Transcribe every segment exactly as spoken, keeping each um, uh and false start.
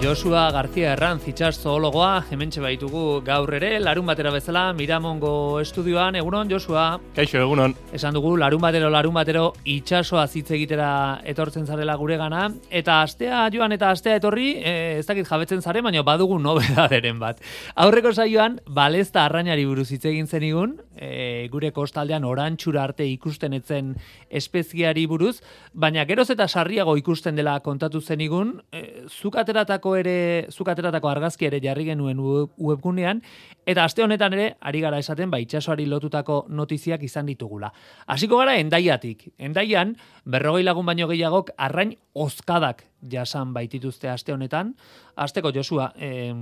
Josua García Herranz, itsas zoologoa, hementxe baitugu gaur ere, larun batera bezala, Miramongo estudioan. Egunon, Josua? Kaixo, egunon. Esan dugu, larun batero, larun batero, itsasoa hitz egitera etortzen zarela guregana, eta astea joan eta astea etorri, e, ez dakit jabetzen zare, baina badugu nobedaderen bat. Aurreko saioan, balezta arrainari buruz hitz egin zenigun, e, gure kostaldean orantxura arte ikusten etzen espeziari buruz, baina geroz eta sarriago ikusten dela kontatu zenigun, e, zuk ateratako ere, zuk ateratako argazki ere jarri genuen webgunean, eta aste honetan ere, ari gara esaten, ba, itsasoari lotutako notiziak izan ditugula. Hasiko gara Hendaiatik. Hendaian, berrogei lagun baino gehiagok arrain ozkadak jasan baitituzte aste honetan. Asteko, Josua, eh,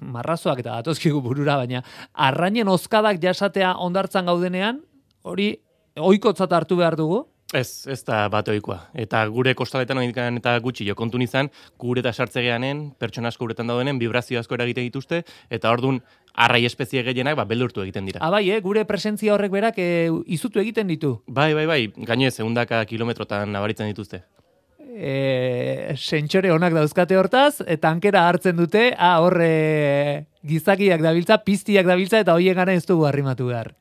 marrazoak eta datozkigu burura, baina arrainen ozkadak jasatea ondartzan gaudenean, hori ohikotzat hartu behar dugu? Ez, ez da bat ohikoa. Eta gure kostaletan oindikan eta gutxi jo kontun izan, gure eta sartzegeanen, pertsona asko uretan daudenen, vibrazio asko eragiten dituzte, eta ordun arrai espezie gehienak ba, beldurtu egiten dira. Ah, bai, eh? Gure presentzia horrek berak e, izutu egiten ditu. Bai, bai, bai, gainez, ehundaka kilometrotan nabaritzen dituzte. E, sentsore onak dauzkate hortaz, eta tankera hartzen dute, ah, horre gizakiak dabiltza, piztiak dabiltza, eta hoien gara ez dugu arrimatu behar.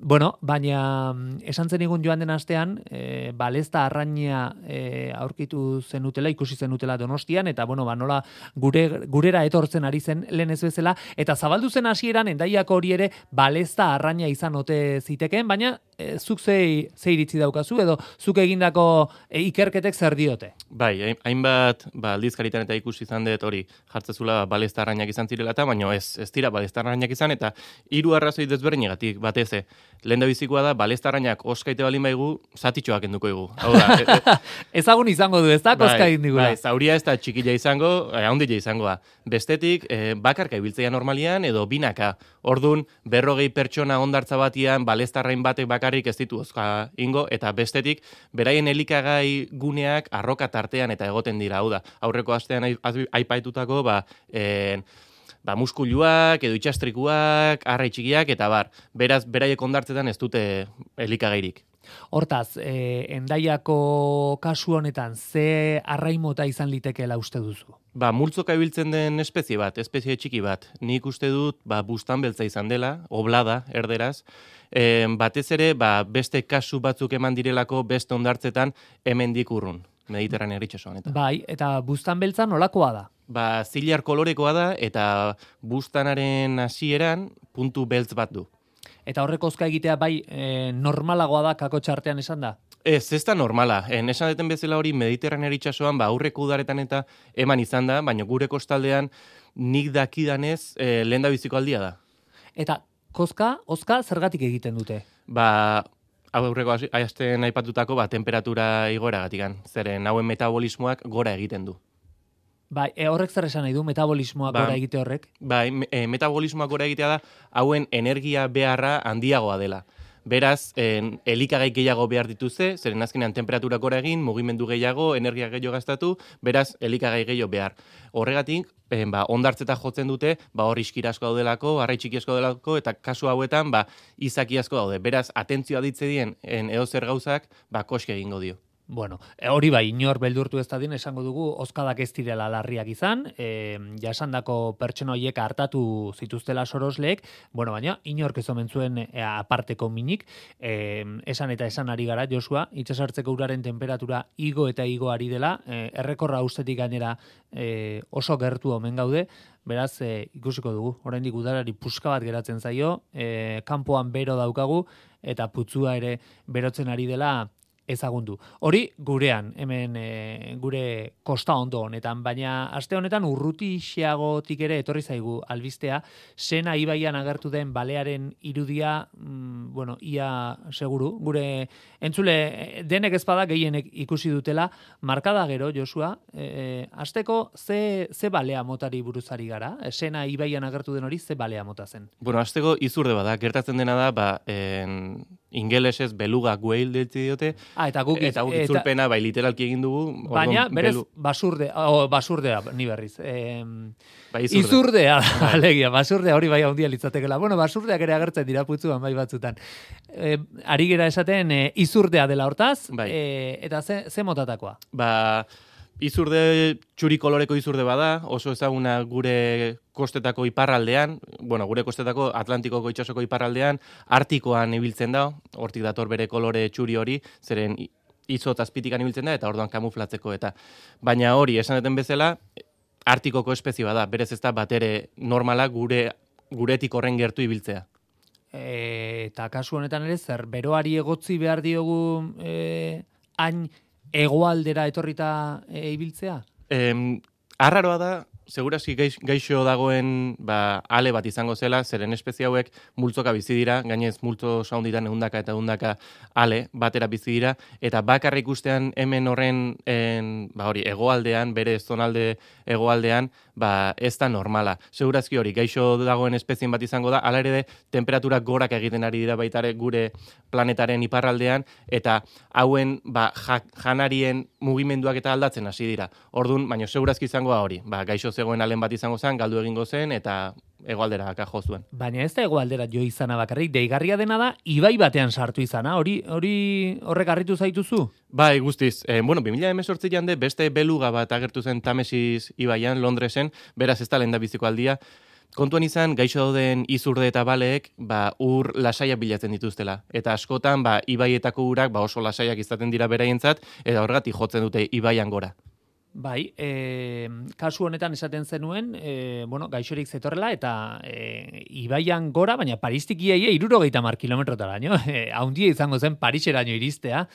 Bueno, baina esan zenigun joan den astean, e, balezta arraina e, aurkitu zenutela, ikusi zenutela Donostian, eta bueno, ba, nola gure, gurera etortzen ari zen lehen ez bezala, eta zabaldu zen hasieran Hendaiako hori ere balezta arraina izan ote zitekeen, baina e, zuk zei, ze iritzi daukazu, edo zuk egindako e, ikerketek zer diote? Bai, hainbat ba, aldizkaritan eta ikusi izan dut hori jartzezula balezta arrainak izan zirela eta, baina ez, ez dira balezta arrainak izan, eta hiru arrazoi desberdinegatik batez. Lehen da bizikoa da, balezta arrainak oskaite balin baigu, zatitxoak enduko egu. Hau da, e, e, ezagun izango du, ez da, koska egin digula. Bai, zauria ez da txikila izango, e, haundila izangoa. Bestetik, e, bakarka ibiltzea normalian, edo binaka. Ordun berrogei pertsona ondartza batian, balezta arrain batek bakarrik ez ditu oska ingo, eta bestetik, beraien elikagai guneak arroka tartean eta egoten dira. Hau da, aurreko astean aipaitutako, ba, e, ba, muskuluak, edo itxastrikuak, arrai txikiak, eta bar, beraz, beraiek ondartzetan ez dute elikagairik. Hortaz, eh, Hendaiako kasu honetan, ze arraimota izan litekeela uste duzu? Ba, multzoka ibiltzen den espezie bat, espezie txiki bat. Nik uste dut, ba, bustan beltza izan dela, oblada, erderaz, e, batez ere, ba, beste kasu batzuk eman direlako beste ondartzetan hemendik urrun, Mediterranea itsasoan. Bai, eta bustan beltza nolakoa da? Ba, zilar kolorekoa da, eta bustanaren hasieran puntu beltz bat du. Eta horrek ozka egitea bai e, normalagoa da kako txartean esan da? Ez, ez da normala. En, esan deten bezala hori Mediterranea itsasoan, ba, aurreko udaretan eta eman izan da, baina gure kostaldean nik dakidanez e, lehen da biziko aldia da. Eta kozka, ozka zergatik egiten dute? Ba, aurreko astean aipatutako ba, temperatura igoeragatikan. Zeren hauen metabolismoak gora egiten du. Bai, e, horrek zer esan nahi du, metabolismoa ba, gora egite horrek? Bai, e, metabolismoa gora egitea da, hauen energia beharra handiagoa dela. Beraz, en, elikagai gehiago behar dituzte, zeren azkenean temperatura gora egin, mugimendu gehiago, energia gehiago gastatu, beraz, elikagai gehiago behar. Horregatik, en, ba, ondartzeta jotzen dute, ba, hor iskira asko daudelako, arrai txiki asko daudelako, eta kasu hauetan, ba, izaki asko daude. Beraz, atentzioa ditze dien, edozer gauzak, ba, koske egingo dio. Bueno, hori bai, inor beldurtu ez dadin esango dugu ozkadak ez direla larriak izan, e, jasandako pertsona horiek hartatu zituztela sorosleek, bueno, baina inork ez omen zuen e, aparteko minik, e, esan eta esan ari gara, Josua, itsasartzeko uraren temperatura igo eta igo ari dela, e, errekorra ustetik gainera e, oso gertu omen gaude, beraz, e, ikusiko dugu, oraindik udarari puska bat geratzen zaio, e, kanpoan bero daukagu, eta putzua ere berotzen ari dela, ezagundu. Hori gurean, hemen e, gure kosta ondo honetan, baina aste honetan urrutixeagotik ere etorri zaigu albistea, Sena ibaian agertu den balearen irudia, mm, bueno, ia seguru, gure entzule denek ezpada gehienek ikusi dutela, markada gero, Josua, e, asteko ze, ze balea motari buruzari gara? Sena ibaian agertu den hori ze balea mota zen? Bueno, asteko izurde bada, gertatzen dena da, ba, en, ingelesez beluga whale deltzi diote, ah, eta guk eta guk itzulpena bai literalki egin dugu. Baina, berez, belu... basurde, o, basurdea, ni berriz. E, bai, izurde. Izurdea, alegia, basurdea hori bai handia litzatekela. Bueno, basurdeak ere agertzen dira putzuan bai batzutan. E, ari gera esaten, e, izurdea dela hortaz, bai. e, eta ze, ze motatakoa? Ba, izurde, txuri koloreko izurde bada, oso ezaguna gure kostetako iparraldean, bueno, gure kostetako Atlantikoko itsasoko iparraldean, Artikoan ibiltzen da, hortik dator bere kolore txuri hori, zeren izot azpitikan ibiltzen da, eta orduan kamuflatzeko eta. Baina hori, esan duten bezala, Artikoko espezie bada, berez ez da batere normala gure guretik horren gertu ibiltzea. E, eta kasu honetan ere, zer, beroari egotzi behar diogu e, hain hegoaldera etorrita e, ibiltzea? Em, arraroa da, segurazki gaix, gaixo dagoen ba, ale bat izango zela, zeren espezie hauek multzoka bizi dira, gainez multzo saunditan ehundaka eta ehundaka ale batera bizi dira, eta bakarrik ustean hemen horren en, ba, hori, hegoaldean, bere zonalde hegoaldean, ba, ez da normala. Segurazki hori, gaixo dagoen espezien bat izango da, ala ere de, temperaturak gorak egiten ari dira baitare gure planetaren iparraldean, eta hauen ba, ja, janarien mugimenduak eta aldatzen hasi dira. Ordun, baina segurazki izango da hori, ba, gaixo zegoen alen bat izango zen, galdu egingo zen, eta hegoaldera jo zuen. Baina ez da hegoaldera jo izana bakarrik, deigarria dena da, ibai batean sartu izana, hori hori horrek harritu zaituzu? Bai, guztiz. Eh, bueno, bi mila hemezortzian de beste beluga bat agertu zen Tamesis ibaian, Londresen, beraz ez da lehen da biziko aldia. Kontuan izan, gaixo dauden izurde eta baleek, ba, ur lasaiak bilatzen dituztela. Eta askotan, ba, ibaietako urak ba, oso lasaiak izaten dira beraientzat, eta horregatik jotzen dute ibaian gora. Bai, e, kasu honetan esaten zenuen, e, bueno, gaixorik zetorrela, eta e, ibaian gora, baina Paristik iaia irurogeita mar kilometrotara, no? E, haundia izango zen Pariseraino iristea.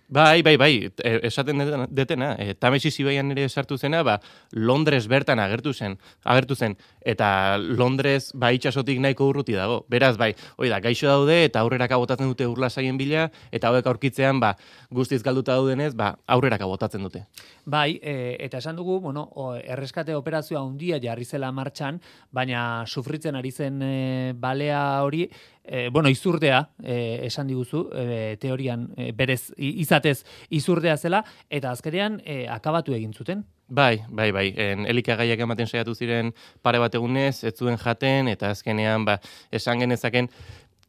Bai, bai, bai, esaten detena, e, Tamesis ibaian ere sartu zena, ba, Londres bertan agertu zen, agertu zen, eta Londres ba itsasotik nahiko urruti dago. Beraz, bai, hori da, gaixo daude eta aurreraka botatzen dute urlasaien bila, eta hauek aurkitzean, ba, guztiz galduta daudenez, ba, aurreraka botatzen dute. Bai, e, eta esan dugu, bueno, o, erreskate operazioa handia jarri zela martxan, baina sufritzen ari zen e, balea hori, e, bueno, izurdea, e, esan diguzu, e, teorian e, berez izatez izurdea zela, eta azkenean e, akabatu egin zuten. Bai, bai, bai. En, elikagaiak ematen saiatu ziren pare bat egunez, ez zuen jaten, eta azkenean, ba, esan genezaken,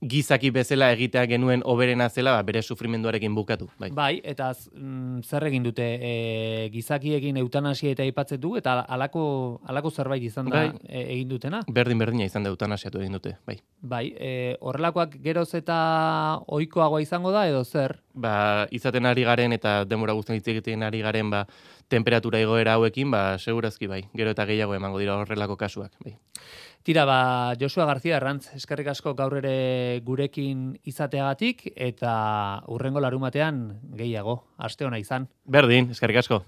gizaki bezala egitea genuen oberena zela, ba, bere sufrimenduarekin bukatu. Bai, bai eta mm, zer egin dute e, gizakiekin eutanasia eta aipatzen du, eta alako, alako zerbait izan da bai, e, egin dutena? Berdin-berdina izan da eutanasiatu egin dute, bai. Bai, e, horrelakoak geroz eta ohikoagoa izango da, edo zer? Ba, izaten ari garen eta denbora guztien hitz egiten ari garen, ba, temperatura igoera hauekin, ba, segurazki bai, gero eta gehiago emango dira horrelako kasuak, bai. Tira, ba, Josua García Arrantz, eskerrik asko gaur ere gurekin izateagatik, eta hurrengo larumatean gehiago, aste ona izan. Berdin, eskerrik asko.